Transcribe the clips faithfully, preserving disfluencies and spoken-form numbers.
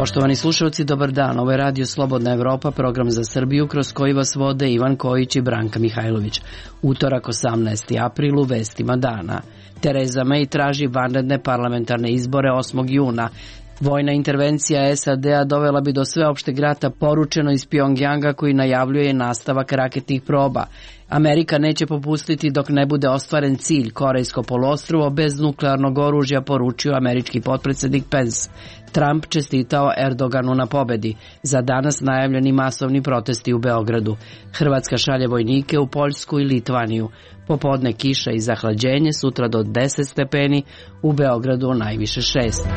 Poštovani slušalci, dobar dan. Ovo je Radio Slobodna Evropa, program za Srbiju kroz koji vas vode Ivan Kojić i Branka Mihajlović. Utorak osamnaesti april u vestima dana. Tereza May traži vanredne parlamentarne izbore osmog juna. Vojna intervencija S A D-a dovela bi do sveopšteg rata, poručeno iz Pjongjanga koji najavljuje nastavak raketnih proba. Amerika neće popustiti dok ne bude ostvaren cilj, Korejsko poluostrvo bez nuklearnog oružja, poručio američki potpredsjednik Pence. Trump čestitao Erdoganu na pobedi. Za danas najavljeni masovni protesti u Beogradu. Hrvatska šalje vojnike u Poljsku i Litvaniju. Popodne kiša i zahlađenje, sutra do deset stepeni, u Beogradu najviše šest.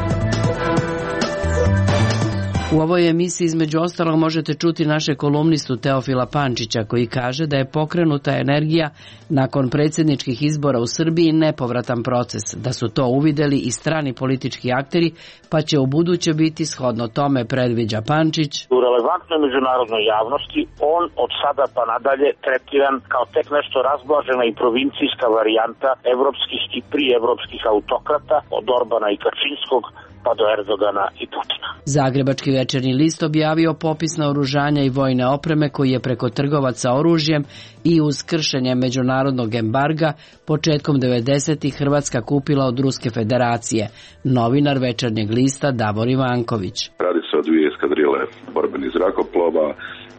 U ovoj emisiji između ostalog možete čuti naše kolumnistu Teofila Pančića koji kaže da je pokrenuta energija nakon predsjedničkih izbora u Srbiji nepovratan proces, da su to uvideli i strani politički akteri, pa će u buduće biti shodno tome, predviđa Pančić. U relevantnoj međunarodnoj javnosti on od sada pa nadalje tretiran kao tek nešto razblažena i provincijska varijanta evropskih i prievropskih autokrata od Orbana i Kačinskog pa do Erdogana i Putina. Zagrebački večernji list objavio popis naoružanja i vojne opreme koji je preko trgovaca oružjem i uz kršenje međunarodnog embarga početkom devedesetih Hrvatska kupila od Ruske federacije. Novinar večernjeg lista Davor Ivanković. Radi se o dvije eskadrile borbenih zrakoplova,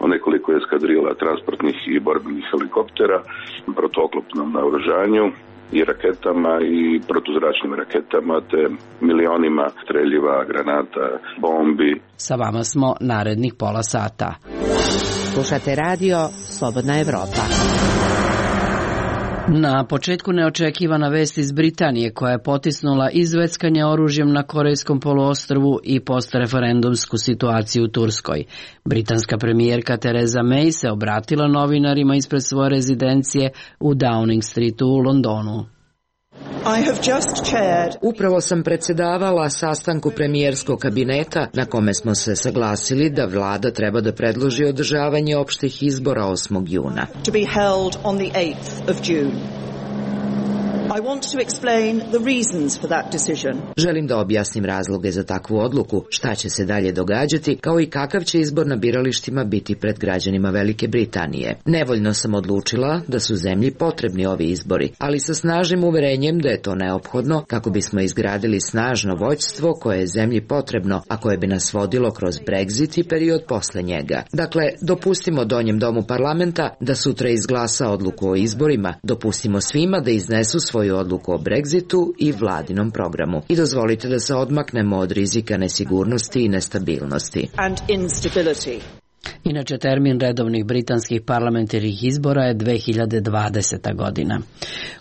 o nekoliko eskadrila transportnih i borbenih helikoptera, protuoklopnom naoružanju i raketama i protuzračnim raketama te milionima streljiva, granata, bombi. Sa vama smo narednih pola sata. Slušate radio Slobodna Evropa. Na početku neočekivana vest iz Britanije koja je potisnula izveckanje oružjem na Korejskom poluostrvu i postreferendumsku situaciju u Turskoj. Britanska premijerka Tereza May se obratila novinarima ispred svoje rezidencije u Downing Streetu u Londonu. Upravo sam predsjedavala sastanku premijerskog kabineta na kome smo se saglasili da vlada treba da predloži održavanje opštih izbora osmog juna. Želim da objasnim razloge za takvu odluku, šta će se dalje događati, kao i kakav će izbor na biralištima biti pred građanima Velike Britanije. Nevoljno sam odlučila da su zemlji potrebni ovi izbori, ali sa snažnim uverenjem da je to neophodno kako bismo izgradili snažno vođstvo koje je zemlji potrebno, a koje bi nas vodilo kroz Brexit i period posle njega. Dakle, dopustimo Donjem domu parlamenta da sutra izglasa odluku o izborima, dopustimo svima da iznesu svoj svoju odluku o Brexitu i vladinom programu. I dozvolite da se odmaknemo od rizika nesigurnosti i nestabilnosti. Inače, termin redovnih britanskih parlamentarnih izbora je dve hiljade dvadeseta godina.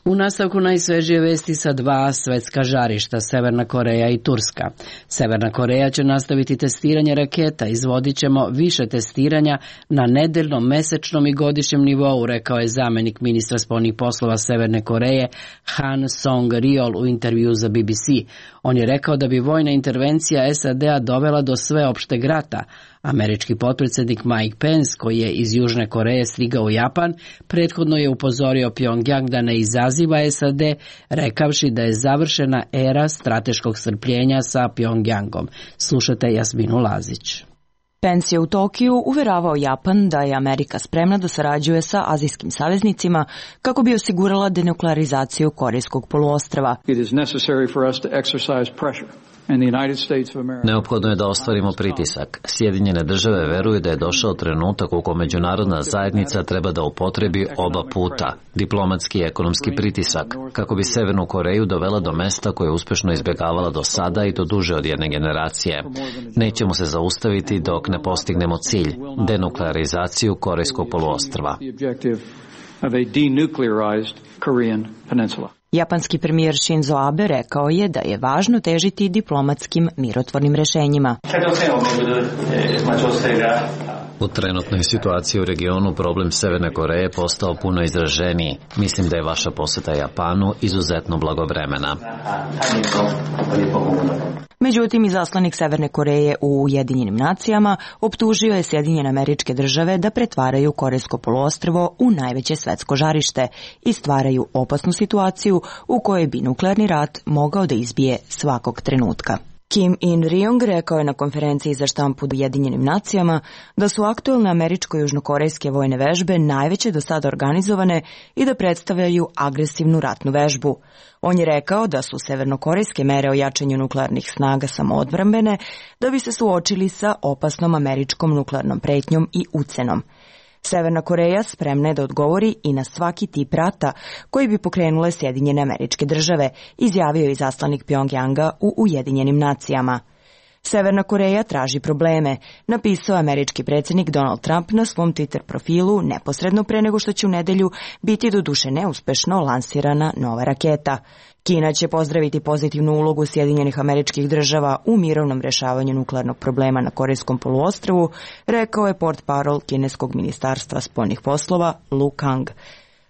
U nastavku najsvežije vesti sa dva svetska žarišta, Severna Koreja i Turska. Severna Koreja će nastaviti testiranje raketa, izvodit ćemo više testiranja na nedeljnom, mesečnom i godišnjem nivou, rekao je zamenik ministra spoljnih poslova Severne Koreje Han Song-ryol u intervju za B B C. On je rekao da bi vojna intervencija S A D-a dovela do sveopšteg rata. Američki potpredsjednik Mike Pence, koji je iz Južne Koreje stigao u Japan, prethodno je upozorio Pjongjang da ne izaziva S A D, rekavši da je završena era strateškog strpljenja sa Pjongjangom. Slušajte Jasminu Lazić. Pence je u Tokiju uveravao Japan da je Amerika spremna da sarađuje sa azijskim saveznicima kako bi osigurala denuklearizaciju Korejskog poluostrva. Neophodno je da ostvarimo pritisak. Sjedinjene države veruju da je došao trenutak u kojem međunarodna zajednica treba da upotrebi oba puta, diplomatski i ekonomski pritisak, kako bi Severnu Koreju dovela do mesta koje je uspešno izbjegavala do sada i to duže od jedne generacije. Nećemo se zaustaviti dok ne postignemo cilj, denuklearizaciju Korejskog poluostrva. Japanski premijer Shinzo Abe rekao je da je važno težiti diplomatskim mirotvornim rešenjima. U trenutnoj situaciji u regionu problem Severne Koreje je postao puno izraženiji. Mislim da je vaša poseta Japanu izuzetno blagovremena. Međutim, izaslanik Severne Koreje u Ujedinjenim nacijama optužio je Sjedinjene Američke Države da pretvaraju Korejsko poluostrvo u najveće svetsko žarište i stvaraju opasnu situaciju u kojoj bi nuklearni rat mogao da izbije svakog trenutka. Kim In-ryong rekao je na konferenciji za štampu u Ujedinjenim nacijama da su aktuelne američko-južnokorejske vojne vežbe najveće do sada organizovane i da predstavljaju agresivnu ratnu vežbu. On je rekao da su severnokorejske mere o jačanju nuklearnih snaga samoodbrambene da bi se suočili sa opasnom američkom nuklearnom pretnjom i ucenom. Severna Koreja spremna je da odgovori i na svaki tip rata koji bi pokrenule Sjedinjene Američke Države, izjavio je izaslanik Pjongjanga u Ujedinjenim nacijama. Severna Koreja traži probleme, napisao američki predsjednik Donald Trump na svom Twitter profilu neposredno pre nego što će u nedelju biti doduše neuspešno lansirana nova raketa. Kina će pozdraviti pozitivnu ulogu Sjedinjenih Američkih Država u mirovnom rešavanju nuklearnog problema na Korejskom poluostrvu, rekao je portparol kineskog ministarstva spoljnih poslova Lu Kang.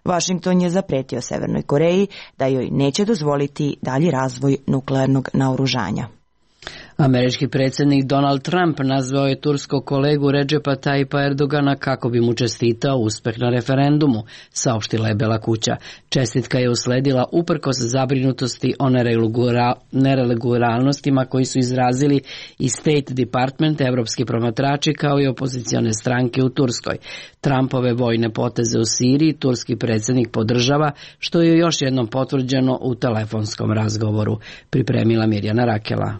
Vašington je zapretio Severnoj Koreji da joj neće dozvoliti dalji razvoj nuklearnog naoružanja. Američki predsjednik Donald Trump nazvao je turskog kolegu Recepa Tayyipa Erdogana kako bi mu čestitao uspeh na referendumu, saopštila je Bela kuća. Čestitka je usledila uprkos zabrinutosti o neregularnostima koji su izrazili i State Department, evropski promatrači kao i opozicione stranke u Turskoj. Trumpove vojne poteze u Siriji turski predsjednik podržava, što je još jednom potvrđeno u telefonskom razgovoru, pripremila Mirjana Rakela.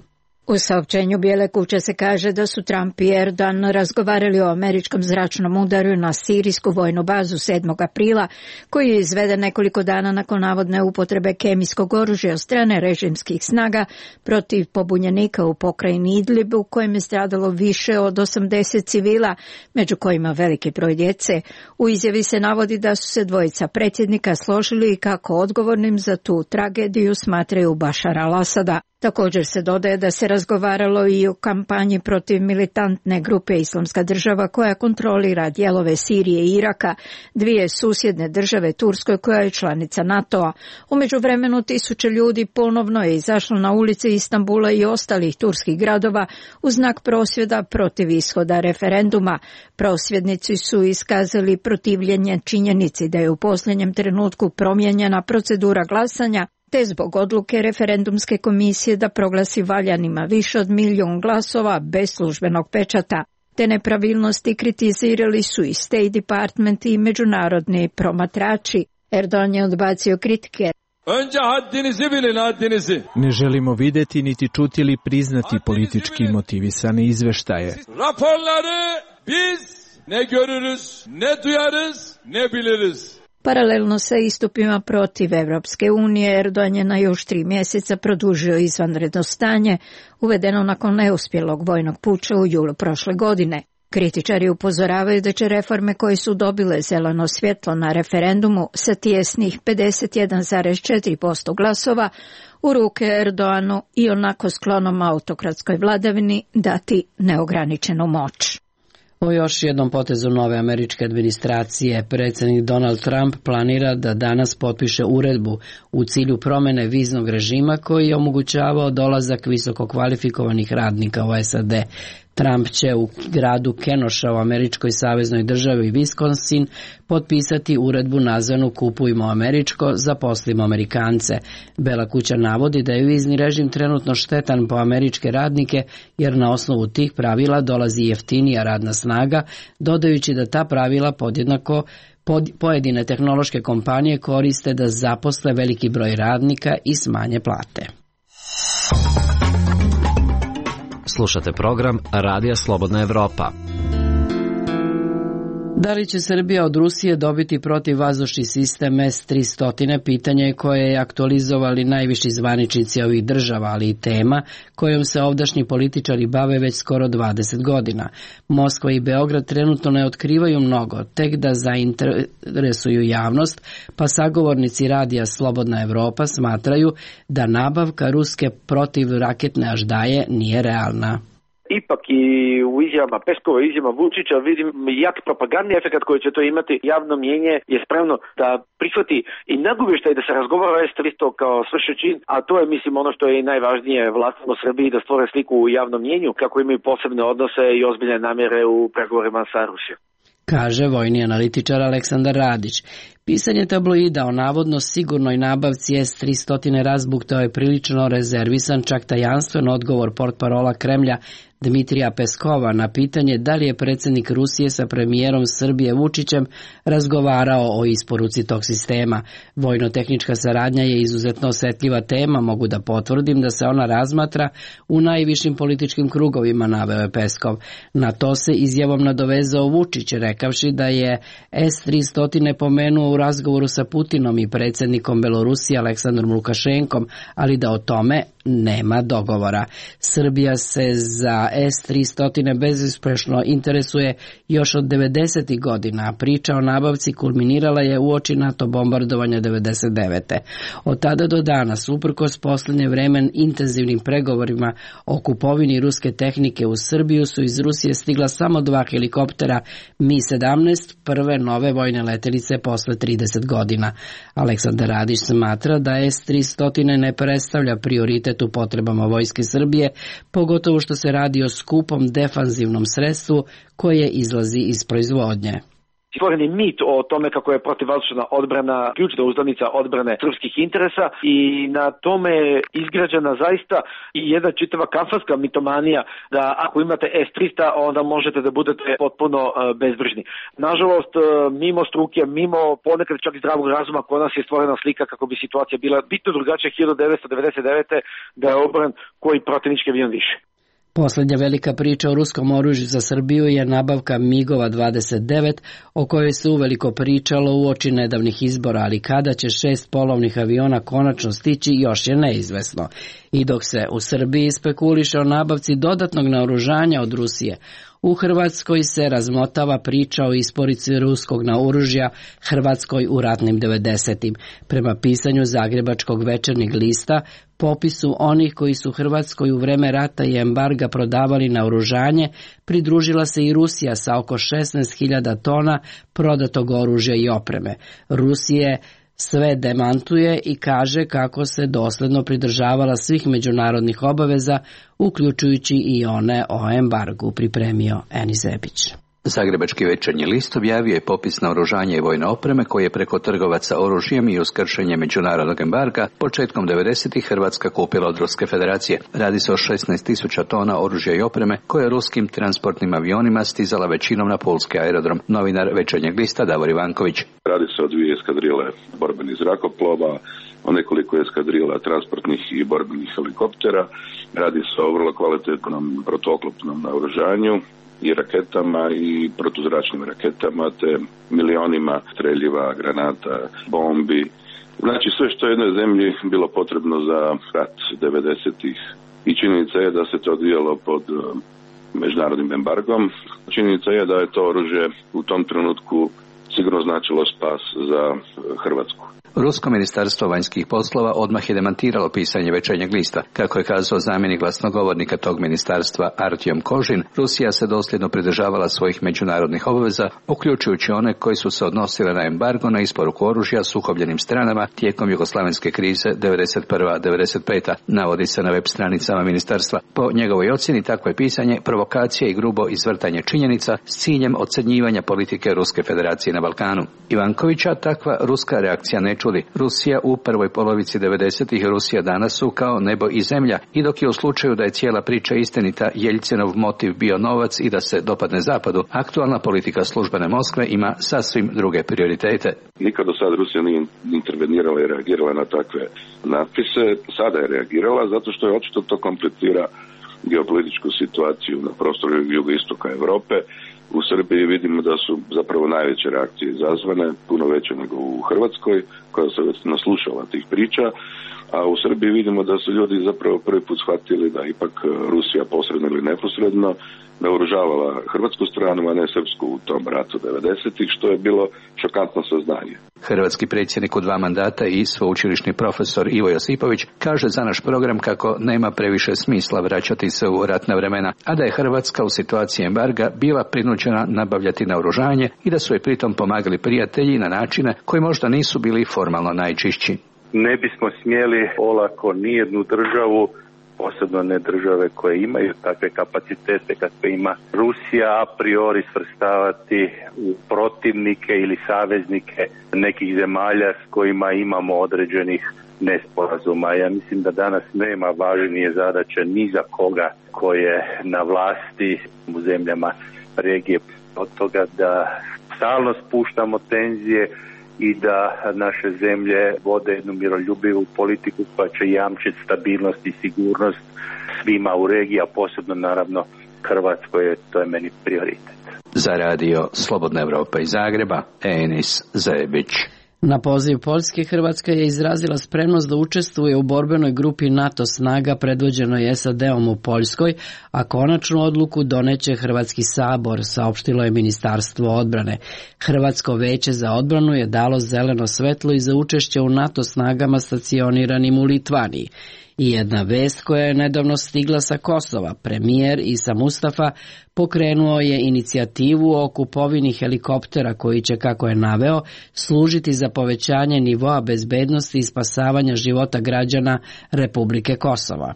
U saopćenju Bijele kuće se kaže da su Trump i Erdogan razgovarali o američkom zračnom udaru na sirijsku vojnu bazu sedmog aprila, koji je izveden nekoliko dana nakon navodne upotrebe kemijskog oružja od strane režimskih snaga protiv pobunjenika u pokrajini Idlib, u kojem je stradalo više od osamdeset civila, među kojima veliki broj djece. U izjavi se navodi da su se dvojica predsjednika složili kako odgovornim za tu tragediju smatraju Bašara al-Asada. Također se dodaje da se razgovaralo i o kampanji protiv militantne grupe Islamska država koja kontrolira dijelove Sirije i Iraka, dvije susjedne države Turskoj koja je članica NATO-a. U međuvremenu tisuće ljudi ponovno je izašlo na ulice Istanbula i ostalih turskih gradova u znak prosvjeda protiv ishoda referenduma. Prosvjednici su iskazali protivljenje činjenici da je u posljednjem trenutku promijenjena procedura glasanja, te zbog odluke referendumske komisije da proglasi valjanima više od milijun glasova bez službenog pečata. Te nepravilnosti kritizirali su i State Department i međunarodni promatrači. Erdogan je odbacio kritike. Ne želimo vidjeti niti čuti ili priznati politički motivisane izveštaje. Raporları biz ne görürüz, ne duyarız, ne biliriz. Paralelno sa istupima protiv Evropske unije, Erdogan je na još tri mjeseca produžio izvanredno stanje, uvedeno nakon neuspjelog vojnog puča u julu prošle godine. Kritičari upozoravaju da će reforme koje su dobile zeleno svjetlo na referendumu sa tijesnih pedeset jedan zarez četiri posto glasova u ruke Erdoganu i onako sklonom autokratskoj vladavini dati neograničenu moć. O još jednom potezu nove američke administracije, predsjednik Donald Trump planira da danas potpiše uredbu u cilju promjene viznog režima koji je omogućavao dolazak visoko kvalifikovanih radnika u S A D. Trump će u gradu Kenosha u američkoj saveznoj državi Wisconsin potpisati uredbu nazvanu Kupujmo američko, zaposlimo Amerikance. Bela kuća navodi da je vizni režim trenutno štetan po američke radnike jer na osnovu tih pravila dolazi jeftinija radna snaga, dodajući da ta pravila podjednako pod pojedine tehnološke kompanije koriste da zaposle veliki broj radnika i smanje plate. Slušate program Radija Slobodna Evropa. Da li će Srbija od Rusije dobiti protivvazdušni sistem S tristo, pitanje je koje je aktualizovali najviši zvaničnici ovih država, ali i tema kojom se ovdašnji političari bave već skoro dvadeset godina. Moskva i Beograd trenutno ne otkrivaju mnogo, tek da zainteresuju javnost, pa sagovornici Radija Slobodna Evropa smatraju da nabavka ruske protivraketne aždaje nije realna. Ipak i u izjavama Peskova i izjavama Vučića vidim jak propagandni efekt koji će to imati. Javno mnjenje je spremno da prihvati i nagovještaj da se razgovara o S tristo kao svršen čin, a to je mislim ono što je i najvažnije vlastima u Srbiji da stvore sliku u javnom mnjenju kako imaju posebne odnose i ozbiljne namjere u pregovorima sa Rusijom. kaže vojni analitičar Aleksandar Radić. Pisanje tabloida o navodno sigurnoj nabavci S tristo razbuktao je prilično rezervisan, čak tajanstven odgovor portparola Kremlja Dmitrija Peskova na pitanje da li je predsjednik Rusije sa premijerom Srbije Vučićem razgovarao o isporuci tog sistema. Vojno-tehnička saradnja je izuzetno osetljiva tema, mogu da potvrdim da se ona razmatra u najvišim političkim krugovima, naveo je Peskov. Na to se izjavom nadovezao Vučić, rekavši da je S tristo pomenuo u razgovoru sa Putinom i predsjednikom Belorusije Aleksandrom Lukašenkom, ali da o tome nema dogovora. Srbija se za S tristo bezuspešno interesuje još od devedesetih godina, a priča o nabavci kulminirala je uoči NATO bombardovanja devedeset devete. Od tada do danas, uprkos posljednje vremen intenzivnim pregovorima o kupovini ruske tehnike u Srbiju, su iz Rusije stigla samo dva helikoptera Mi sedamnaest, prve nove vojne letelice posle trideset godina. Aleksandar Radić smatra da S tristo ne predstavlja prioritet u potrebama vojske Srbije, pogotovo što se radi o skupom defanzivnom sredstvu koje izlazi iz proizvodnje. Stvoren je mit o tome kako je protivvazdušna odbrana ključna uzdanica odbrane srpskih interesa i na tome je izgrađena zaista i jedna čitava kafanska mitomanija da ako imate S tristo onda možete da budete potpuno uh, bezbrižni. Nažalost, uh, mimo struke, mimo ponekad čak i zdravog razuma, kod nas je stvorena slika kako bi situacija bila bitno drugačija hiljadu devetsto devedeset devete da je obran koji protivnički avion više. Poslednja velika priča o ruskom oružju za Srbiju je nabavka migova dvadeset devet, o kojoj se uveliko pričalo uoči nedavnih izbora, ali kada će šest polovnih aviona konačno stići još je neizvesno. I dok se u Srbiji spekuliše o nabavci dodatnog naoružanja od Rusije, u Hrvatskoj se razmotava priča o isporuci ruskog naoružja Hrvatskoj u ratnim devedesetim. Prema pisanju Zagrebačkog večernjeg lista, popisu onih koji su Hrvatskoj u vreme rata i embarga prodavali naoružanje, pridružila se i Rusija sa oko šesnaest hiljada tona prodatog oružja i opreme. Rusije sve demantuje i kaže kako se dosledno pridržavala svih međunarodnih obaveza, uključujući i one o embargu, pripremio Enis Zebić. Zagrebački večernji list objavio je popis naoružanja i vojne opreme koje je preko trgovaca oružjem i uz kršenje međunarodnog embarga početkom devedesetih Hrvatska kupila od Ruske federacije. Radi se o šesnaest tisuća tona oružja i opreme koje je ruskim transportnim avionima stizala većinom na pulski aerodrom. Novinar večernjeg lista Davor Ivanković. Radi se o dvije eskadrile borbenih zrakoplova, o nekoliko eskadrila transportnih i borbenih helikoptera. Radi se o vrlo kvalitetnom protuoklopnom naoružanju i raketama i protuzračnim raketama, te milionima streljiva, granata, bombi. Znači sve što je jednoj zemlji bilo potrebno za rat devedesetih. I činjenica je da se to odvijalo pod međunarodnim embargom. Činjenica je da je to oružje u tom trenutku sigurno značilo spas za Hrvatsku. Rusko ministarstvo vanjskih poslova odmah je demantiralo pisanje večernjeg lista. Kako je kazao zamjenik glasnogovornika tog ministarstva Artjom Kožin, Rusija se dosljedno pridržavala svojih međunarodnih obaveza, uključujući one koji su se odnosile na embargo na isporuku oružja sukobljenim stranama tijekom jugoslavenske krize devedeset prva devedeset peta, navodi se na web stranicama ministarstva. Po njegovoj ocjeni takvo je pisanje provokacija i grubo izvrtanje činjenica s ciljem ocrnjivanja politike Ruske federacije na Balkanu. Ivankovića takva ruska reakcija ne čudi. Rusija u prvoj polovici devedesetih, Rusija danas su kao nebo i zemlja, i dok je u slučaju da je cijela priča istinita Jeljcinov motiv bio novac i da se dopadne zapadu, aktualna politika službene Moskve ima sasvim druge prioritete. Nikad do sad Rusija nije intervenirala i reagirala na takve natpise, sada je reagirala zato što je očito to komplicira geopolitičku situaciju na prostoru jugoistoka Europe. U Srbiji vidimo da su zapravo najveće reakcije izazvane, puno veće nego u Hrvatskoj, koja se već naslušala tih priča, a u Srbiji vidimo da su ljudi zapravo prvi put shvatili da ipak Rusija posredno ili neposredno naoružavala hrvatsku stranu, a ne srpsku u tom ratu devedesetih, što je bilo šokantno saznanje. Hrvatski predsjednik u dva mandata i sveučilišni profesor Ivo Josipović kaže za naš program kako nema previše smisla vraćati se u ratna vremena, a da je Hrvatska u situaciji embarga bila prinuđena nabavljati naoružanje i da su je pritom pomagali prijatelji na načine koji možda nisu bili formalno najčišći. Ne bismo smjeli olako nijednu državu posebno ne države koje imaju takve kapacitete kakve ima Rusija, a priori svrstavati u protivnike ili saveznike nekih zemalja s kojima imamo određenih nesporazuma. Ja mislim da danas nema važnije zadaće ni za koga ko je na vlasti u zemljama regije od toga da stalno spuštamo tenzije i da naše zemlje vode jednu miroljubivu politiku koja će jamčiti stabilnost i sigurnost svima u regiji, a posebno naravno Hrvatskoj, to je meni prioritet. Za radio Slobodna Evropa iz Zagreba, Enis Zebić. Na poziv Poljske, Hrvatska je izrazila spremnost da učestvuje u borbenoj grupi NATO snaga predvođenoj S A D-om u Poljskoj, a konačnu odluku doneće Hrvatski sabor, saopštilo je Ministarstvo odbrane. Hrvatsko veće za odbranu je dalo zeleno svetlo i za učešće u NATO snagama stacioniranim u Litvaniji. I jedna vest koja je nedavno stigla sa Kosova, premijer Isa Mustafa pokrenuo je inicijativu o kupovini helikoptera koji će, kako je naveo, služiti za povećanje nivoa bezbednosti i spasavanja života građana Republike Kosova.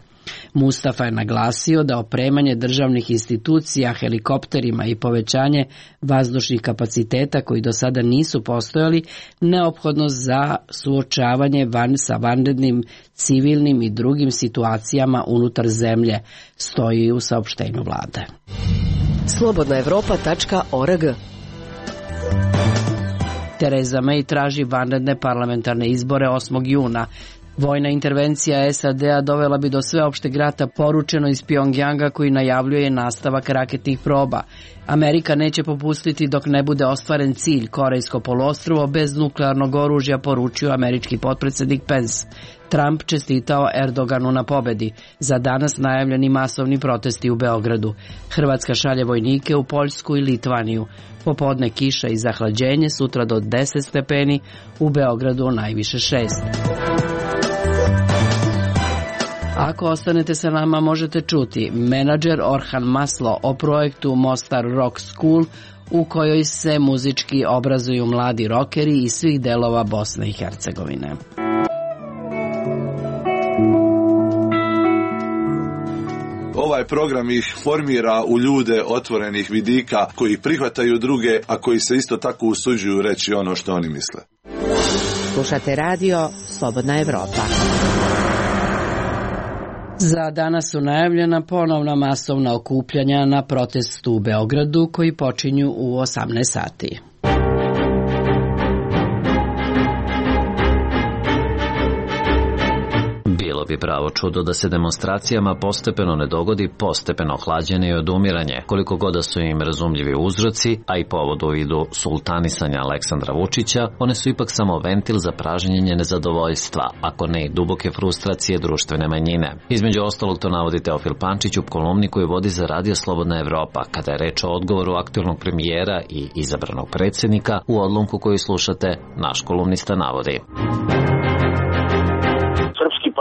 Mustafa je naglasio da opremanje državnih institucija helikopterima i povećanje vazdušnih kapaciteta koji do sada nisu postojali neophodno za suočavanje van sa vanrednim civilnim i drugim situacijama unutar zemlje, stoji u saopštenju vlade. slobodna evropa tačka org. Tereza May traži vanredne parlamentarne izbore osmog juna. Vojna intervencija S A D-a dovela bi do sveopšteg rata, poručeno iz Pjongjanga koji najavljuje nastavak raketnih proba. Amerika neće popustiti dok ne bude ostvaren cilj Korejsko poluostrvo bez nuklearnog oružja, poručio američki potpredsjednik Pence. Trump čestitao Erdoganu na pobedi. Za danas najavljeni masovni protesti u Beogradu. Hrvatska šalje vojnike u Poljsku i Litvaniju. Popodne kiša i zahlađenje, sutra do deset stepeni, u Beogradu najviše šest. Ako ostanete sa nama, možete čuti menadžer Orhan Maslo o projektu Mostar Rock School, u kojoj se muzički obrazuju mladi rokeri iz svih delova Bosne i Hercegovine. Ovaj program ih formira u ljude otvorenih vidika koji prihvataju druge, a koji se isto tako usuđuju reći ono što oni misle. Slušate radio Slobodna Evropa. Za danas su najavljena ponovna masovna okupljanja na protestu u Beogradu koji počinju u osamnaest sati. Bilo bi pravo čudo da se demonstracijama postepeno ne dogodi postepeno hlađenje i odumiranje, koliko god da su im razumljivi uzroci, a i povod u vidu sultanisanja Aleksandra Vučića, one su ipak samo ventil za pražnjenje nezadovoljstva, ako ne i duboke frustracije društvene manjine. Između ostalog to navodi Teofil Pančić u kolumni koju vodi za radio Slobodna Evropa, kada je reč o odgovoru aktuelnog premijera i izabranog predsjednika. U odlomku koju slušate, naš kolumnista navodi: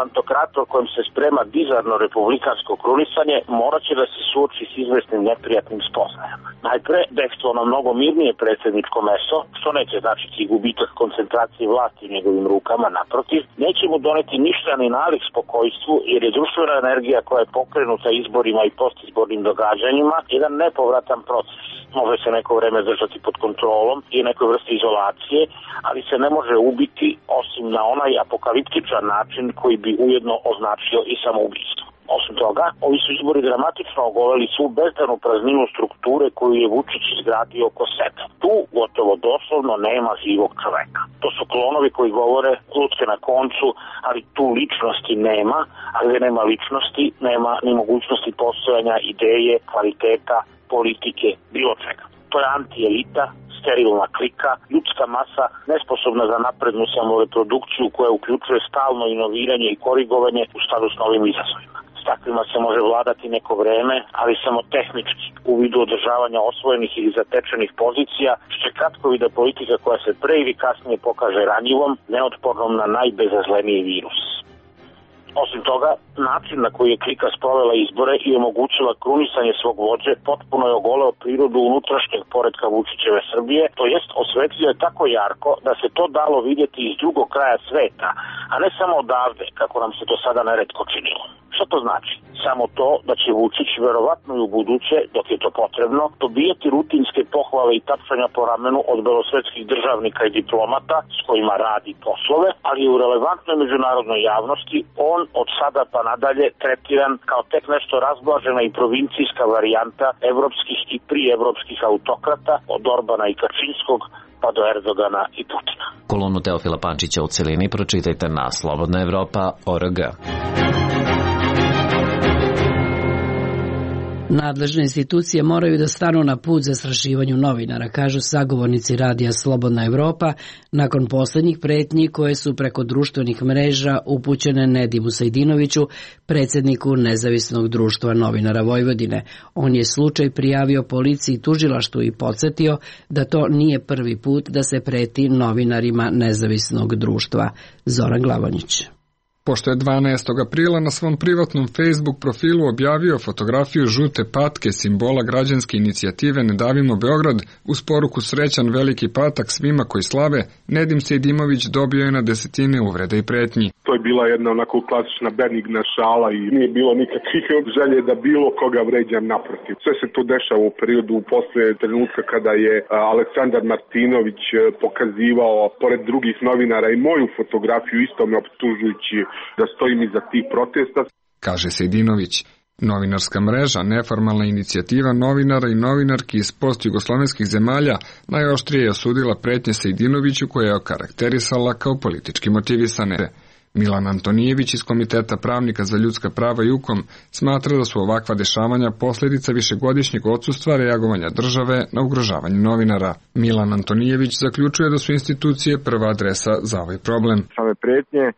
pantokrator kojim se sprema bizarno republikansko krunisanje morat će da se suoči s izvesnim neprijatnim spoznajama. Najpre, bekstvo na mnogo mirnije predsjedničko meso, što neće značiti gubitak koncentracije vlasti u njegovim rukama, naprotiv, neće mu doneti ništa ni nalik spokojstvu, jer je društvena energija koja je pokrenuta izborima i postizbornim događanjima jedan nepovratan proces. Može se neko vreme držati pod kontrolom i nekoj vrsti izolacije, ali se ne može ubiti osim na onaj apokaliptičan način koji bi ujedno označio i samoubistvo. Osim toga, ovi su izbori dramatično ogoleli svu bezdanu prazninu strukture koju je Vučić izgradio oko sebe. Tu gotovo doslovno nema živog čoveka. To su klonovi koji govore lutke na koncu, ali tu ličnosti nema, a gdje nema ličnosti, nema ni mogućnosti postojanja ideje, kvaliteta, politike, bilo čega. To je antielita, sterilna klika, ljudska masa nesposobna za naprednu samoreprodukciju koja uključuje stalno inoviranje i korigovanje u skladu s novim izazovima. S takvima se može vladati neko vreme, ali samo tehnički, u vidu održavanja osvojenih ili zatečenih pozicija, što je kratkovida politika koja se pre ili kasnije pokaže ranjivom, neotpornom na najbezazleniji virus. Osim toga, način na koji je klika sprovela izbore i omogućila krunisanje svog vođe potpuno je ogoleo prirodu unutrašnjeg poretka Vučićeve Srbije, to jest osvetlio je tako jarko da se to dalo vidjeti iz drugog kraja sveta, a ne samo odavde, kako nam se do sada neretko činilo. Šta to znači? Samo to da će Vučić verovatno i u buduće, dok je to potrebno, dobijeti rutinske pohvale i tapšanja po ramenu od belosvetskih državnika i diplomata s kojima radi poslove, ali je u relevantnoj međunarodnoj javnosti on od sada pa nadalje tretiran kao tek nešto razblažena i provincijska varijanta evropskih i prievropskih autokrata od Orbana i Kačinskog pa do Erdogana i Putina. Kolonu Teofila Pančića u celini pročitajte na slobodna evropa tačka org. Nadležne institucije moraju da stanu na put zastrašivanju novinara, kažu sagovornici radija Slobodna Evropa, nakon poslednjih pretnji koje su preko društvenih mreža upućene Nedimu Sejdinoviću, predsjedniku Nezavisnog društva novinara Vojvodine. On je slučaj prijavio policiji i tužilaštvu i podsjetio da to nije prvi put da se preti novinarima Nezavisnog društva. Zoran Glavonjić. Pošto je dvanaestog aprila na svom privatnom Facebook profilu objavio fotografiju žute patke, simbola građanske inicijative Ne davimo Beograd, uz poruku srećan veliki patak svima koji slave, Nedim Sejdimović dobio je na desetine uvreda i pretnji. To je bila jedna onako klasična benigna šala i nije bilo nikakvih želje da bilo koga vređam, naprotiv. Sve se to dešava u periodu posle trenutka kada je Aleksandar Martinović pokazivao pored drugih novinara i moju fotografiju, isto me optužujući da stojim iza tih protesta. Kaže Sejdinović. Novinarska mreža, neformalna inicijativa novinara i novinarki iz post-jugoslovenskih zemalja najoštrije je osudila pretnje Sejdinoviću koje je okarakterisala kao politički motivisane. Milan Antonijević iz Komiteta pravnika za ljudska prava i UKOM smatra da su ovakva dešavanja posljedica višegodišnjeg odsustva reagovanja države na ugrožavanje novinara. Milan Antonijević zaključuje da su institucije prva adresa za ovaj problem. Same pretnje e,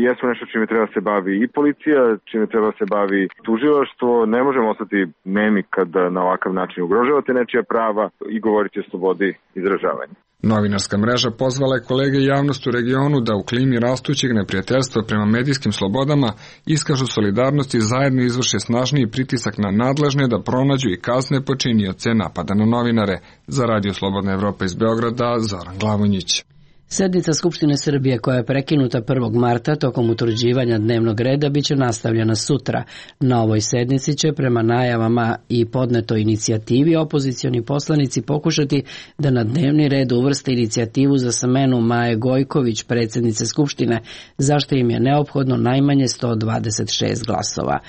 jesu nešto čime treba se bavi i policija, čime treba se bavi tužilaštvo. Ne možemo ostati nemi kad na ovakav način ugrožavate nečija prava i govoriti o slobodi izražavanja. Novinarska mreža pozvala je kolege i javnost u regionu da u klimi rastućeg neprijateljstva prema medijskim slobodama iskažu solidarnost i zajedno izvrše snažniji pritisak na nadležne da pronađu i kazne počinioce napada na novinare. Za Radio Slobodna Evropa iz Beograda, Zoran Glavonjić. Sednica Skupštine Srbije koja je prekinuta prvog marta tokom utvrđivanja dnevnog reda biće nastavljena sutra. Na ovoj sednici će prema najavama i podnetoj inicijativi opozicioni poslanici pokušati da na dnevni red uvrste inicijativu za smenu Maje Gojković, predsjednice Skupštine, zašto im je neophodno najmanje sto dvadeset šest glasova.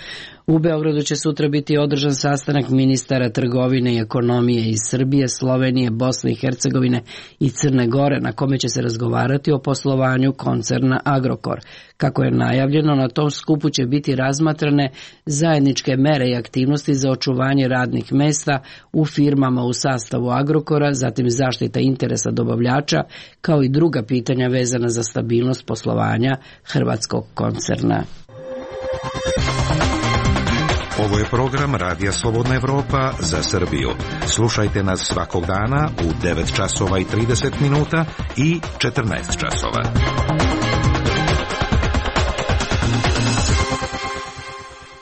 U Beogradu će sutra biti održan sastanak ministara trgovine i ekonomije iz Srbije, Slovenije, Bosne i Hercegovine i Crne Gore, na kome će se razgovarati o poslovanju koncerna Agrokor. Kako je najavljeno, na tom skupu će biti razmatrane zajedničke mere i aktivnosti za očuvanje radnih mesta u firmama u sastavu Agrokora, zatim zaštita interesa dobavljača, kao i druga pitanja vezana za stabilnost poslovanja hrvatskog koncerna. Ovo je program Radija Slobodna Evropa za Srbiju. Slušajte nas svakog dana u devet časova i trideset minuta i četrnaest časova.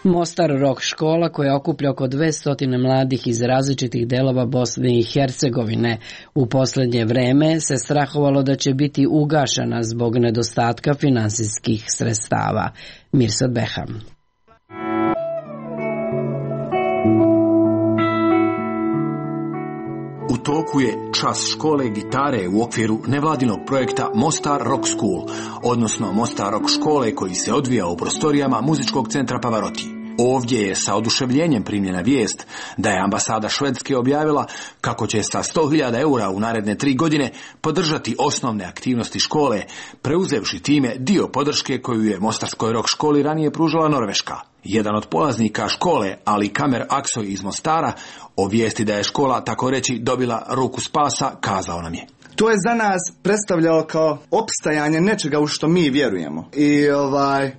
Mostar Rock škola, koja okuplja oko dvesta mladih iz različitih delova Bosne i Hercegovine, u posljednje vreme se strahovalo da će biti ugašena zbog nedostatka finansijskih sredstava. Mirsad Beham. U toku je čas škole gitare u okviru nevladinog projekta Mostar Rock School, odnosno Mostar Rock škole, koji se odvija u prostorijama muzičkog centra Pavarotti. Ovdje je sa oduševljenjem primljena vijest da je ambasada Švedske objavila kako će sa sto hiljada eura u naredne tri godine podržati osnovne aktivnosti škole, preuzevši time dio podrške koju je Mostarskoj rock školi ranije pružala Norveška. Jedan od polaznika škole, Ali Kamer Aksoj iz Mostara, o vijesti da je škola tako reći dobila ruku spasa, kazao nam je: To je za nas predstavljalo kao opstajanje nečega u što mi vjerujemo. I ovaj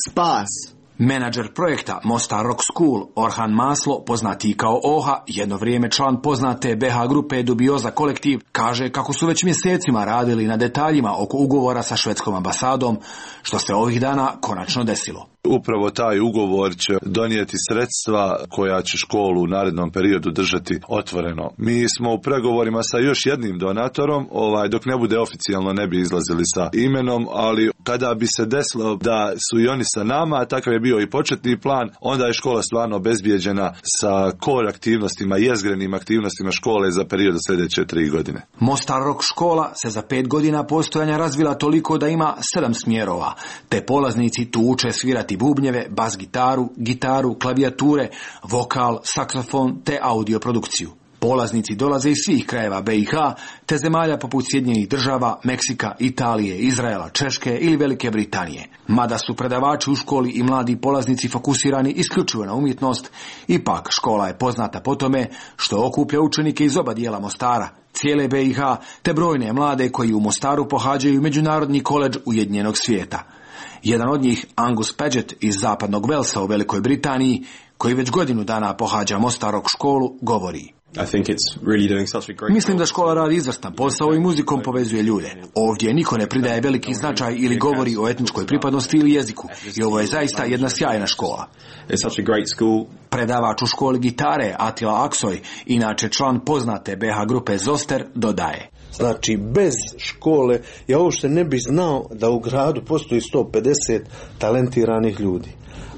spas Menadžer projekta Mostar Rock School Orhan Maslo, poznatiji kao Oha, jedno vrijeme član poznate be ha grupe Dubioza kolektiv, kaže kako su već mjesecima radili na detaljima oko ugovora sa švedskom ambasadom, što se ovih dana konačno desilo. Upravo taj ugovor će donijeti sredstva koja će školu u narednom periodu držati otvoreno. Mi smo u pregovorima sa još jednim donatorom, ovaj, dok ne bude oficijalno ne bi izlazili sa imenom, ali kada bi se desilo da su i oni sa nama, takav je bio i početni plan, onda je škola stvarno obezbijeđena sa core aktivnostima, jezgrenim aktivnostima škole za period sljedeće tri godine. Mostar Rock škola se za pet godina postojanja razvila toliko da ima sedam smjerova, te polaznici tu uče svirati bubnjeve, bas gitaru, gitaru, klavijature, vokal, saksofon te audio produkciju. Polaznici dolaze iz svih krajeva be i ha te zemalja poput Sjedinjenih država, Meksika, Italije, Izraela, Češke ili Velike Britanije. Mada su predavači u školi i mladi polaznici fokusirani isključivo na umjetnost, ipak škola je poznata po tome što okuplja učenike iz oba dijela Mostara, cijele be i ha te brojne mlade koji u Mostaru pohađaju Međunarodni koledž Ujedinjenog svijeta. Jedan od njih, Angus Paget iz zapadnog Velsa u Velikoj Britaniji, koji već godinu dana pohađa Mostar Rock školu, govori: Mislim da škola radi izvrstan posao i muzikom povezuje ljude. Ovdje niko ne pridaje veliki značaj ili govori o etničkoj pripadnosti ili jeziku i ovo je zaista jedna sjajna škola. Predavač u školi gitare Atila Aksoy, inače član poznate be ha grupe Zoster, dodaje: Znači, bez škole ja uopšte ne bi znao da u gradu postoji sto pedeset talentiranih ljudi.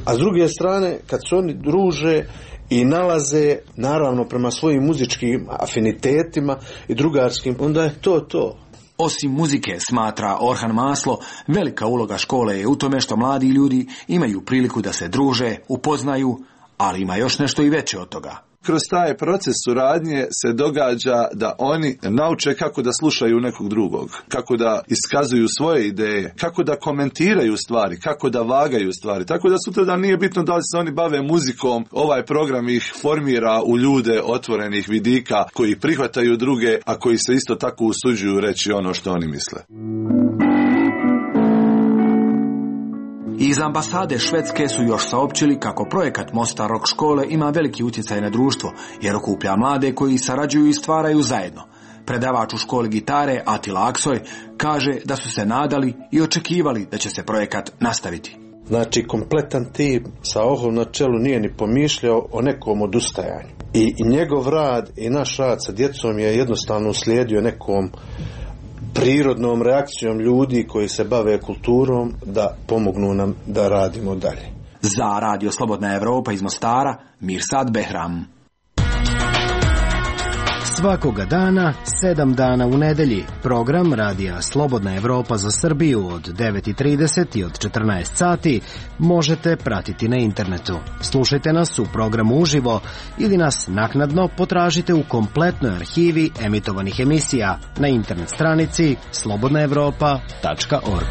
A s druge strane, kad se oni druže i nalaze, naravno prema svojim muzičkim afinitetima i drugarskim, onda je to to. Osim muzike, smatra Orhan Maslo, velika uloga škole je u tome što mladi ljudi imaju priliku da se druže, upoznaju, ali ima još nešto i veće od toga. Kroz taj proces suradnje se događa da oni nauče kako da slušaju nekog drugog, kako da iskazuju svoje ideje, kako da komentiraju stvari, kako da vagaju stvari. Tako da sutra da nije bitno da li se oni bave muzikom, ovaj program ih formira u ljude otvorenih vidika koji prihvataju druge, a koji se isto tako usuđuju reći ono što oni misle. Iz ambasade Švedske su još saopćili kako projekat Mostar Rock škole ima veliki utjecaj na društvo, jer okuplja mlade koji sarađuju i stvaraju zajedno. Predavač u školi gitare Atila Aksoy kaže da su se nadali i očekivali da će se projekat nastaviti. Znači, kompletan tim sa Ohom na čelu nije ni pomišljao o nekom odustajanju. I, i njegov rad i naš rad sa djecom je jednostavno uslijedio nekom prirodnom reakcijom ljudi koji se bave kulturom da pomognu nam da radimo dalje. Za Radio Slobodna Evropa iz Mostara, Mirsad Behram. Svakoga dana, sedam dana u nedelji, program Radija Slobodna Evropa za Srbiju od devet i trideset i od četrnaest sati možete pratiti na internetu. Slušajte nas u programu uživo ili nas naknadno potražite u kompletnoj arhivi emitovanih emisija na internet stranici slobodna evropa tačka org.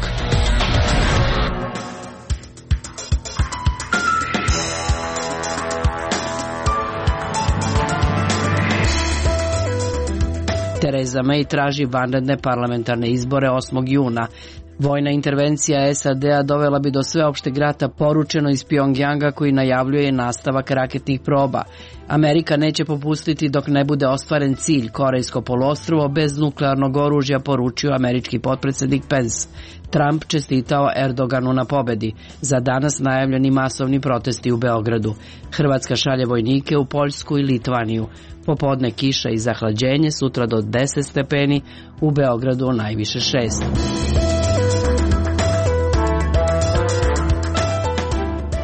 Tereza May traži vanredne parlamentarne izbore osmog juna. Vojna intervencija es a de a dovela bi do sveopšteg rata, poručeno iz Pjongjanga, koji najavljuje nastavak raketnih proba. Amerika neće popustiti dok ne bude ostvaren cilj, Korejsko poluostrvo bez nuklearnog oružja, poručio američki potpredsjednik Pence. Trump čestitao Erdoganu na pobedi. Za danas najavljeni masovni protesti u Beogradu. Hrvatska šalje vojnike u Poljsku i Litvaniju. Popodne kiša i zahlađenje, sutra do deset stepeni, u Beogradu najviše šest.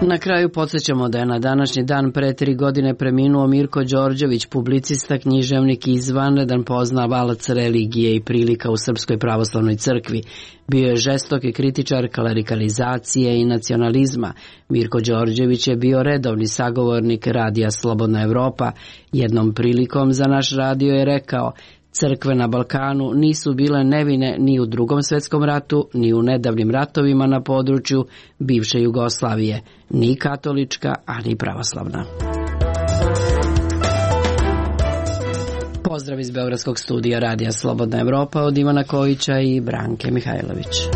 Na kraju podsjećamo da je na današnji dan pre tri godine preminuo Mirko Đorđević, publicista, književnik i izvanredan poznavalac religije i prilika u Srpskoj pravoslavnoj crkvi. Bio je žestoki kritičar klerikalizacije i nacionalizma. Mirko Đorđević je bio redovni sagovornik Radija Slobodna Evropa. Jednom prilikom za naš radio je rekao: crkve na Balkanu nisu bile nevine ni u Drugom svjetskom ratu, ni u nedavnim ratovima na području bivše Jugoslavije, ni katolička, a ni pravoslavna. Pozdrav iz Beogradskog studija Radija Slobodna Evropa od Ivana Kojića i Branke Mihajlović.